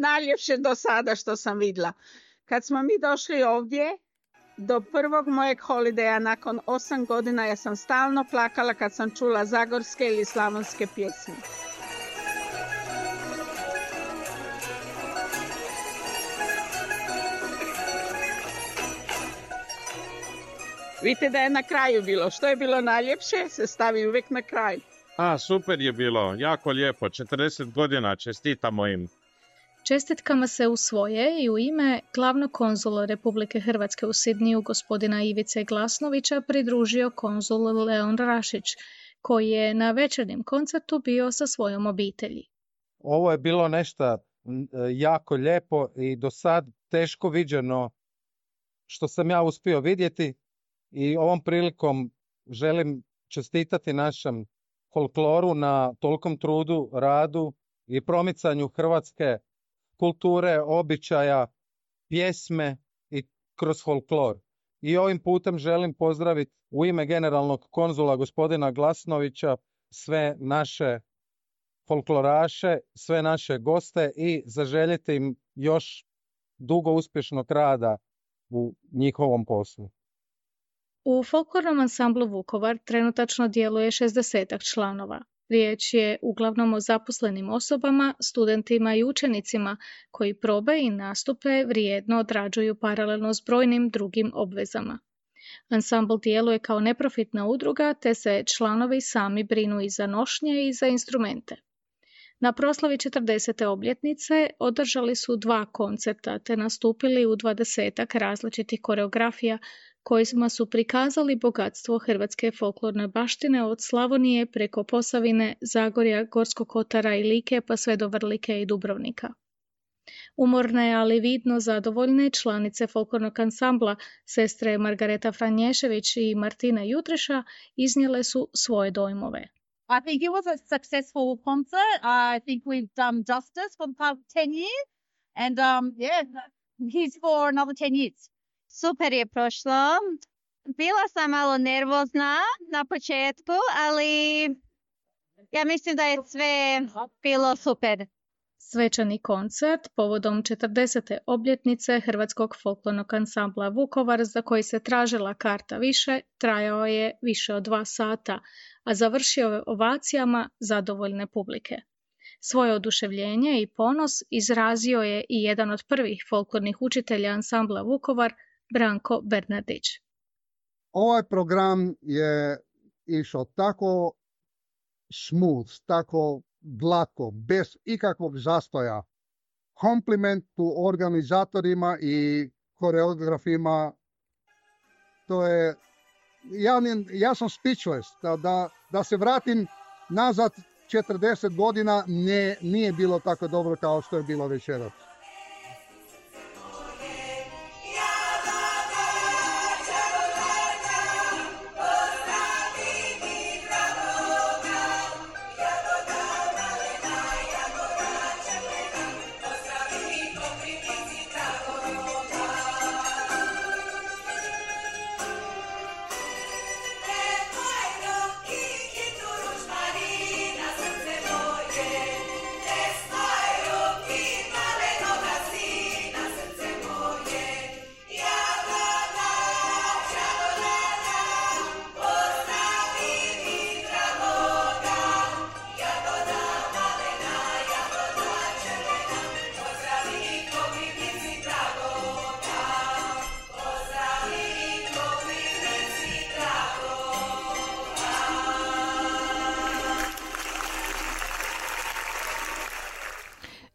Najljepše do sada što sam vidjela. Kad smo mi došli ovdje, do prvog mojeg holideja nakon 8 godina, ja sam stalno plakala kad sam čula zagorske ili slavonske pjesme. Vidite da je na kraju bilo. Što je bilo najljepše, se stavi uvijek na kraj. Super je bilo, jako lijepo, 40 godina, čestitamo im. Čestitkama se u svoje i u ime glavnog konzula Republike Hrvatske u Sidniju, gospodina Ivice Glasnovića, pridružio konzul Leon Rašić, koji je na večernjem koncertu bio sa svojom obitelji. Ovo je bilo nešto jako lijepo i do sad teško viđeno što sam ja uspio vidjeti i ovom prilikom želim čestitati našem folkloru na tolikom trudu, radu i promicanju hrvatske kulture, običaja, pjesme i kroz folklor. I ovim putem želim pozdraviti u ime generalnog konzula gospodina Glasnovića sve naše folkloraše, sve naše goste i zaželjeti im još dugo uspješnog rada u njihovom poslu. U folklornom ansamblu Vukovar trenutačno djeluje 60 članova. Riječ je uglavnom o zaposlenim osobama, studentima i učenicima koji probe i nastupe vrijedno odrađuju paralelno s brojnim drugim obvezama. Ansambl djeluje kao neprofitna udruga, te se članovi sami brinu i za nošnje i za instrumente. Na proslavi 40. obljetnice održali su 2 koncerta te nastupili u 20 različitih koreografija kojima su prikazali bogatstvo hrvatske folklorne baštine od Slavonije preko Posavine, Zagorja, Gorskog kotara i Like pa sve do Vrlike i Dubrovnika. Umorne, ali vidno zadovoljne članice folklornog ansambla, sestre Margareta Franješević i Martina Jutreša, iznijele su svoje dojmove. I think it was a successful concert. I think we've done justice for the past 10 years. And here's for another 10 years. Super je prošlo. Bila sam malo nervozna na početku, ali ja mislim da je sve bilo super. Svečani koncert povodom 40. obljetnice Hrvatskog folklornog ansambla Vukovar, za koji se tražila karta više, trajao je više od 2 sata, a završio je ovacijama zadovoljne publike. Svoje oduševljenje i ponos izrazio je i jedan od prvih folklornih učitelja ansambla Vukovar, Branko Bernardić. Ovaj program je išao tako smooth, tako glatko, bez ikakvog zastoja. Kompliment tu organizatorima i koreografima. To je, ja sam speechless. Da se vratim nazad 40 godina, nije bilo tako dobro kao što je bilo večeras.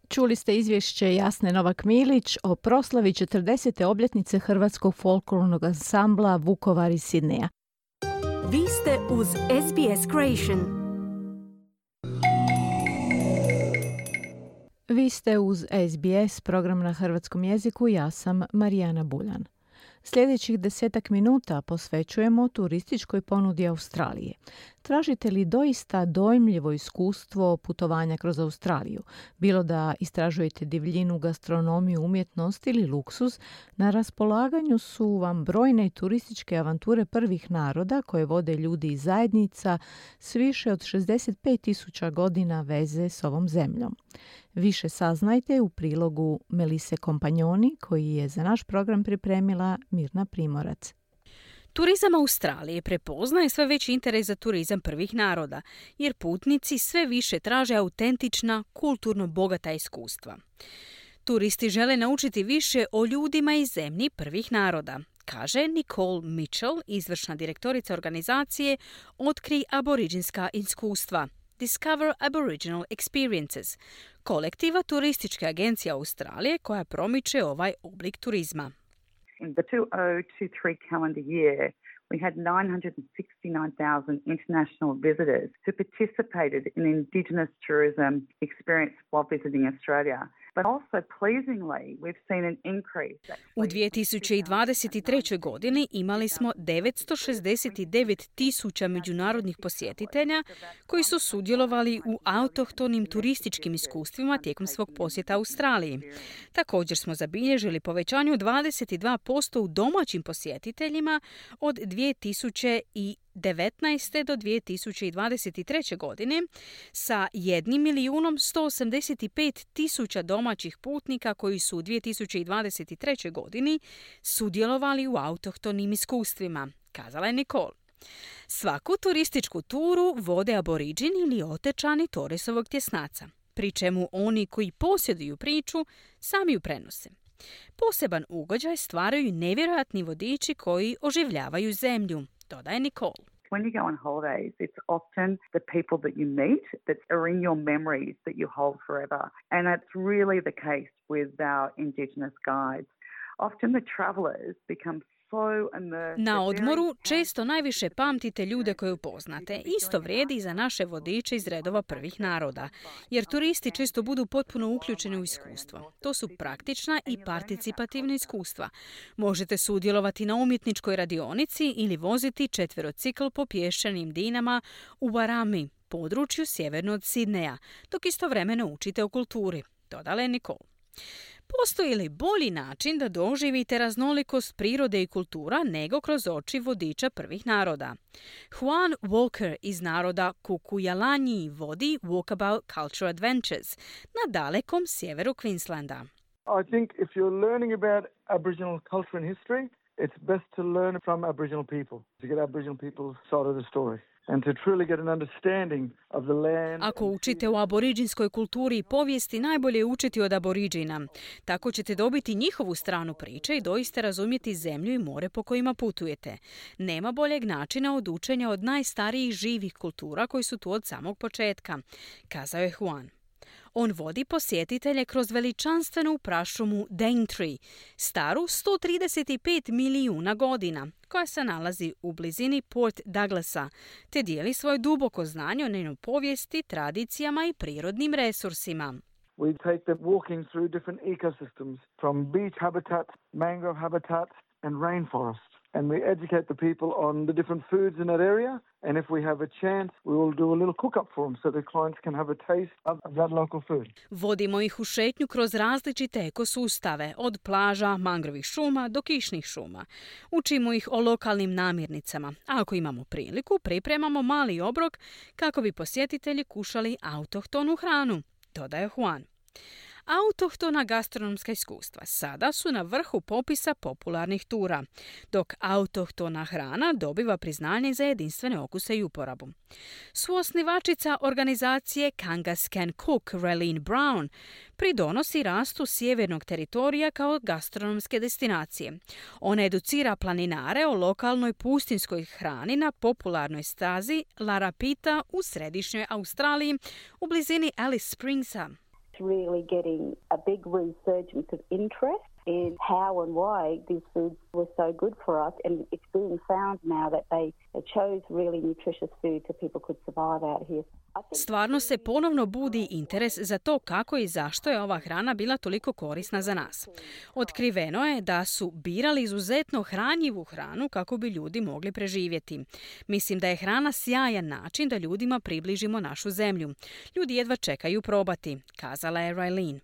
Čuli ste izvješće Jasne Novak-Milić o proslavi 40. obljetnice Hrvatskog folklornog ansambla Vukovar iz Sidneja. Vi ste uz SBS Creation. Vi ste uz SBS, program na hrvatskom jeziku, ja sam Marijana Buljan. Sljedećih 10 minuta posvećujemo turističkoj ponudi Australije. Tražite li doista dojmljivo iskustvo putovanja kroz Australiju? Bilo da istražujete divljinu, gastronomiju, umjetnost ili luksuz, na raspolaganju su vam brojne turističke avanture prvih naroda koje vode ljudi iz zajednica s više od 65.000 godina veze s ovom zemljom. Više saznajte u prilogu Melise Kompanjoni koji je za naš program pripremila Mirna Primorac. Turizam Australije prepoznaje sve veći interes za turizam prvih naroda, jer putnici sve više traže autentična, kulturno bogata iskustva. Turisti žele naučiti više o ljudima i zemlji prvih naroda, kaže Nicole Mitchell, izvršna direktorica organizacije Otkri aboriđinska iskustva, Discover Aboriginal Experiences, kolektiva turističke agencije Australije koja promiče ovaj oblik turizma. In the 2023 calendar year, We had 969,000 international visitors who participated in Indigenous tourism experience while visiting Australia. But also pleasingly, we've seen an increase. U 2023. godini imali smo 969.000 međunarodnih posjetitelja koji su sudjelovali u autohtonim turističkim iskustvima tijekom svog posjeta Australiji. Također smo zabilježili povećanje od 22% u domaćim posjetiteljima od 2019. do 2023. godine sa 1.185.000 domaćih putnika koji su u 2023. godini sudjelovali u autohtonim iskustvima, kazala je Nicole. Svaku turističku turu vode aboriđini ili otečani Torresovog tjesnaca, pri čemu oni koji posjeduju priču sami ju prenose. Poseban ugođaj stvaraju nevjerojatni vodiči koji oživljavaju zemlju, dodaje Nicole. When you go on holidays, it's often the people that you meet that are in your memories that you hold forever. And that's really the case with our Indigenous guides. Often the travellers become Na odmoru često najviše pamtite ljude koje upoznate. Isto vrijedi i za naše vodiče iz redova prvih naroda, jer turisti često budu potpuno uključeni u iskustvo. To su praktična i participativna iskustva. Možete sudjelovati na umjetničkoj radionici ili voziti četverocikl po pješčanim dinama u Warami, području sjeverno od Sidneja, dok istovremeno učite o kulturi, dodala je Nicole. Postoji li bolji način da doživite raznolikost prirode i kultura nego kroz oči vodiča prvih naroda? Juan Walker iz naroda Kukuyalanji vodi Walkabout Culture Adventures na dalekom sjeveru Queenslanda. I think if you're learning about Aboriginal culture and history, it's best to learn from Aboriginal people, to get Aboriginal people's side of the story. And to truly get an understanding of the land. Ako učite o aboriđinskoj kulturi i povijesti, najbolje je učiti od aboriđina. Tako ćete dobiti njihovu stranu priče i doista razumjeti zemlju i more po kojima putujete. Nema boljeg načina od učenja od najstarijih živih kultura koji su tu od samog početka, kazao je Juan. On vodi posjetitelje kroz veličanstvenu prašumu Daintree, staru 135 milijuna godina, koja se nalazi u blizini Port Douglasa, te dijeli svoje duboko znanje o njenoj povijesti, tradicijama i prirodnim resursima. We take them walking through different ecosystems, from beach habitat, mangrove habitat and rainforest. And we educate the people on the different foods in that area. And if we have a chance, we will do a little cook-up for them so the clients can have a taste of that local food. Vodimo ih u šetnju kroz različite ekosustave, od plaža, mangrovih šuma do kišnih šuma. Učimo ih o lokalnim namirnicama. A ako imamo priliku, pripremamo mali obrok kako bi posjetitelji kušali autohtonu hranu, dodaje Juan. Autohtona gastronomska iskustva sada su na vrhu popisa popularnih tura, dok autohtona hrana dobiva priznanje za jedinstvene okuse i uporabu. Suosnivačica organizacije Kangas Can Cook, Raylene Brown, pridonosi rastu sjevernog teritorija kao gastronomske destinacije. Ona educira planinare o lokalnoj pustinskoj hrani na popularnoj stazi La Rapita u središnjoj Australiji u blizini Alice Springsa. Really getting a big resurgence of interest in how and why these foods were so good for us, and it's being found now that they chose really nutritious food so people could survive out here. Stvarno se ponovno budi interes za to kako i zašto je ova hrana bila toliko korisna za nas. Otkriveno je da su birali izuzetno hranjivu hranu kako bi ljudi mogli preživjeti. Mislim da je hrana sjajan način da ljudima približimo našu zemlju. Ljudi jedva čekaju probati, kazala je Raylene.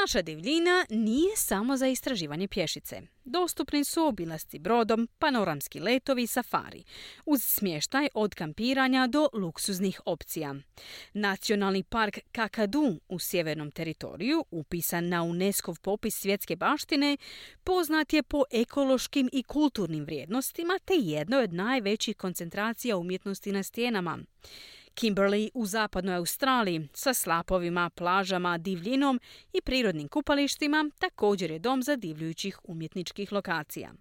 Naša divljina nije samo za istraživanje pješice. Dostupni su obilasci brodom, panoramski letovi i safari, uz smještaj od kampiranja do luksuznih opcija. Nacionalni park Kakadu u sjevernom teritoriju, upisan na UNESCO-v popis svjetske baštine, poznat je po ekološkim i kulturnim vrijednostima te jednoj od najvećih koncentracija umjetnosti na stijenama. Kimberley u zapadnoj Australiji sa slapovima, plažama, divljinom i prirodnim kupalištima također je dom zadivljujućih umjetničkih lokacija.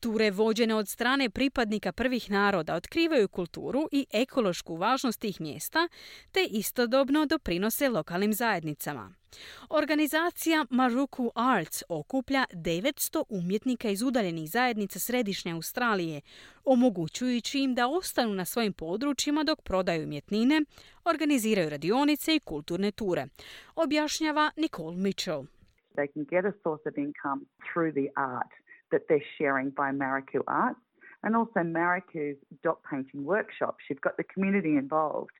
Ture vođene od strane pripadnika prvih naroda otkrivaju kulturu i ekološku važnost tih mjesta, te istodobno doprinose lokalnim zajednicama. Organizacija Maruku Arts okuplja 900 umjetnika iz udaljenih zajednica središnje Australije, omogućujući im da ostanu na svojim područjima dok prodaju umjetnine, organiziraju radionice i kulturne ture, objašnjava Nicole Mitchell. They can get a source of income through the art that they're sharing by Mariku Arts and also Mariku's dot painting workshops. You've got the community involved.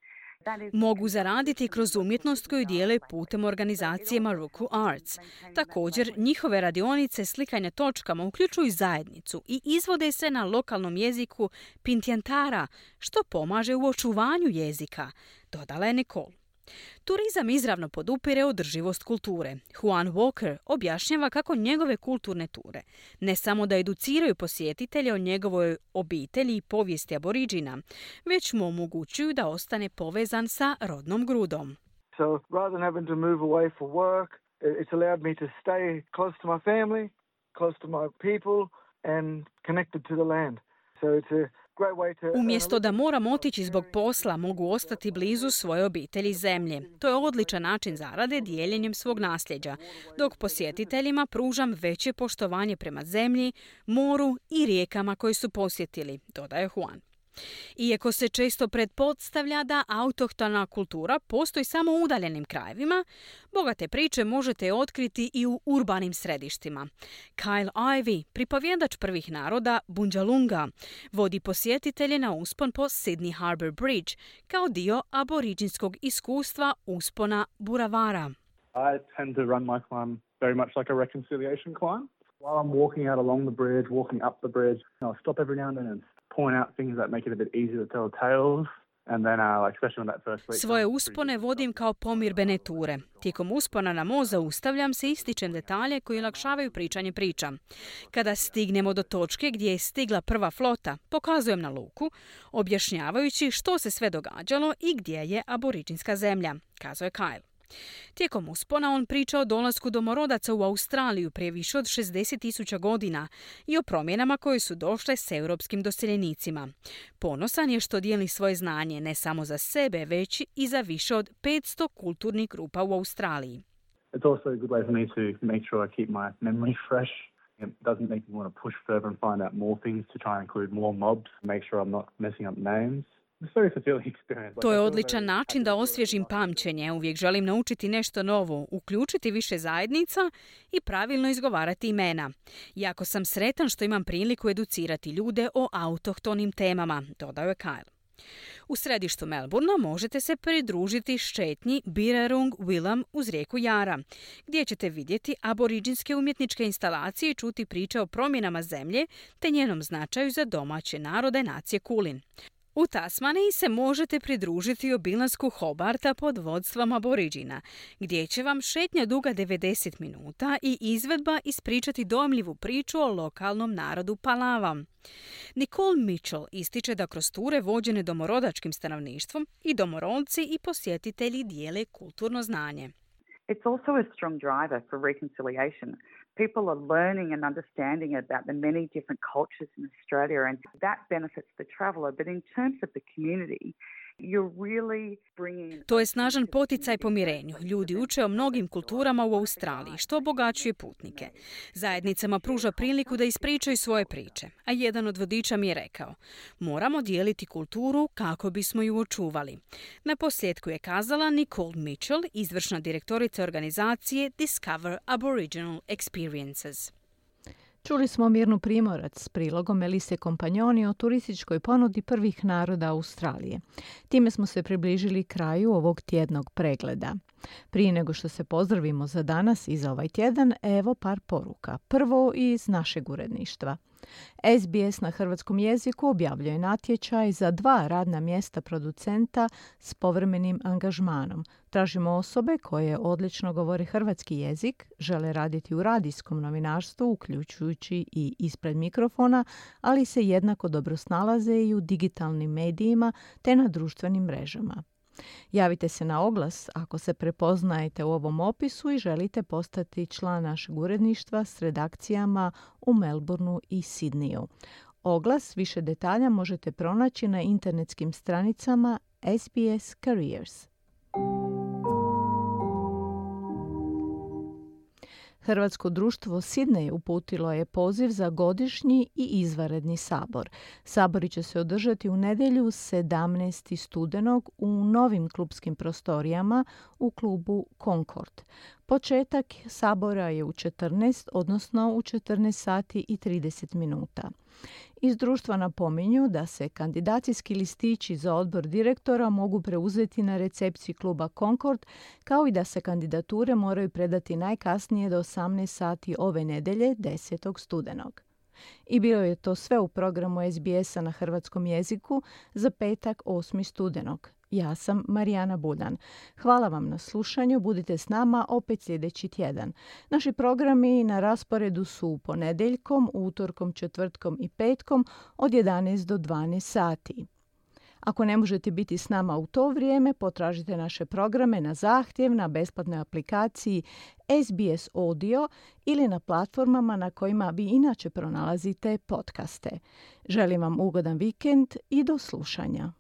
Mogu zaraditi kroz umjetnost koju dijele putem organizacije Maruku Arts. Također, njihove radionice slikanja točkama uključuju zajednicu i izvode se na lokalnom jeziku Pintiantara, što pomaže u očuvanju jezika, dodala je Nicole. Turizam izravno podupire održivost kulture. Juan Walker objašnjava kako njegove kulturne ture ne samo da educiraju posjetitelje o njegovoj obitelji i povijesti Aboriđina, već mu omogućuju da ostane povezan sa rodnom grudom. So rather than having to move away for work, it's allowed me to stay close to my family, close to my people and connected to the land. So it's a Umjesto da moram otići zbog posla, mogu ostati blizu svoje obitelji zemlje. To je odličan način zarade dijeljenjem svog nasljeđa, dok posjetiteljima pružam veće poštovanje prema zemlji, moru i rijekama koje su posjetili, dodaje Juan. Iako se često pretpostavlja da autohtona kultura postoji samo u udaljenim krajevima, bogate priče možete otkriti i u urbanim središtima. Kyle Ivey, pripovjedač prvih naroda Bundjalunga, vodi posjetitelje na uspon po Sydney Harbour Bridge kao dio aboriđinskog iskustva uspona Buravara. I tend to run my climb very much like a reconciliation climb. While I'm walking out along the bridge, walking up the bridge, I'll stop every now and then and point out things that make it a bit easier to tell tales. And then, especially on that first week. Svoje uspone vodim kao pomirbene ture. Tijekom uspona na most zaustavljam se i ističem detalje koji olakšavaju pričanje priča. Kada stignemo do točke gdje je stigla prva flota, pokazujem na luku, objašnjavajući što se sve događalo i gdje je aboriđinska zemlja, kazuje Kyle. Tijekom uspona on priča o dolasku domorodaca u Australiju prije više od 60.000 godina i o promjenama koje su došle s europskim doseljenicima. Ponosan je što dijeli svoje znanje ne samo za sebe, već i za više od 500 kulturnih grupa u Australiji. It's also a good way for me to make sure I keep my memory fresh. It doesn't make me want to push further and find out more things to try and include more mobs, make sure I'm not messing up names. To je odličan način da osvježim pamćenje. Uvijek želim naučiti nešto novo, uključiti više zajednica i pravilno izgovarati imena. Jako sam sretan što imam priliku educirati ljude o autohtonim temama, dodao je Kyle. U središtu Melbourna možete se pridružiti šetnji Birrarung Willam uz rijeku Jara, gdje ćete vidjeti aboriđinske umjetničke instalacije i čuti priče o promjenama zemlje te njenom značaju za domaće narode nacije Kulin. U Tasmaniji se možete pridružiti obilasku Hobarta pod vodstvom Aboriđina, gdje će vam šetnja duga 90 minuta i izvedba ispričati dojmljivu priču o lokalnom narodu Palava. Nicole Mitchell ističe da kroz ture vođene domorodačkim stanovništvom i domorodci i posjetitelji dijele kulturno znanje. It's also a strong driver for reconciliation. People are learning and understanding about the many different cultures in Australia, and that benefits the traveller. But in terms of the community, to je snažan poticaj pomirenju. Ljudi uče o mnogim kulturama u Australiji, što obogaćuje putnike. Zajednicama pruža priliku da ispričaju svoje priče, a jedan od vodiča mi je rekao: moramo dijeliti kulturu kako bismo ju očuvali. Na posljedku je kazala Nicole Mitchell, izvršna direktorica organizacije Discover Aboriginal Experiences. Čuli smo Mirnu Primorac s prilogom Melise Kompanjoni o turističkoj ponudi prvih naroda Australije. Time smo se približili kraju ovog tjednog pregleda. Prije nego što se pozdravimo za danas i za ovaj tjedan, evo par poruka. Prvo iz našeg uredništva. SBS na hrvatskom jeziku objavljuje natječaj za 2 radna mjesta producenta s povremenim angažmanom. Tražimo osobe koje odlično govore hrvatski jezik, žele raditi u radijskom novinarstvu, uključujući i ispred mikrofona, ali se jednako dobro snalaze i u digitalnim medijima te na društvenim mrežama. Javite se na oglas ako se prepoznajete u ovom opisu i želite postati član našeg uredništva s redakcijama u Melbourneu i Sidniju. Oglas, više detalja možete pronaći na internetskim stranicama SBS Careers. Hrvatsko društvo Sydney uputilo je poziv za godišnji i izvanredni sabor. Sabori će se održati u nedjelju 17. studenog u novim klubskim prostorijama u klubu Concord. Početak sabora je u 14, odnosno u 14 sati i 30 minuta. Iz društva napominju da se kandidacijski listići za odbor direktora mogu preuzeti na recepciji kluba Concord, kao i da se kandidature moraju predati najkasnije do 18 sati ove nedjelje 10. studenog. I bilo je to sve u programu SBS-a na hrvatskom jeziku za petak 8. studenog. Ja sam Marijana Buljan. Hvala vam na slušanju, budite s nama opet sljedeći tjedan. Naši programi na rasporedu su ponedjeljkom, utorkom, četvrtkom i petkom od 11 do 12 sati. Ako ne možete biti s nama u to vrijeme, potražite naše programe na zahtjev na besplatnoj aplikaciji SBS Audio ili na platformama na kojima vi inače pronalazite podcaste. Želim vam ugodan vikend i do slušanja.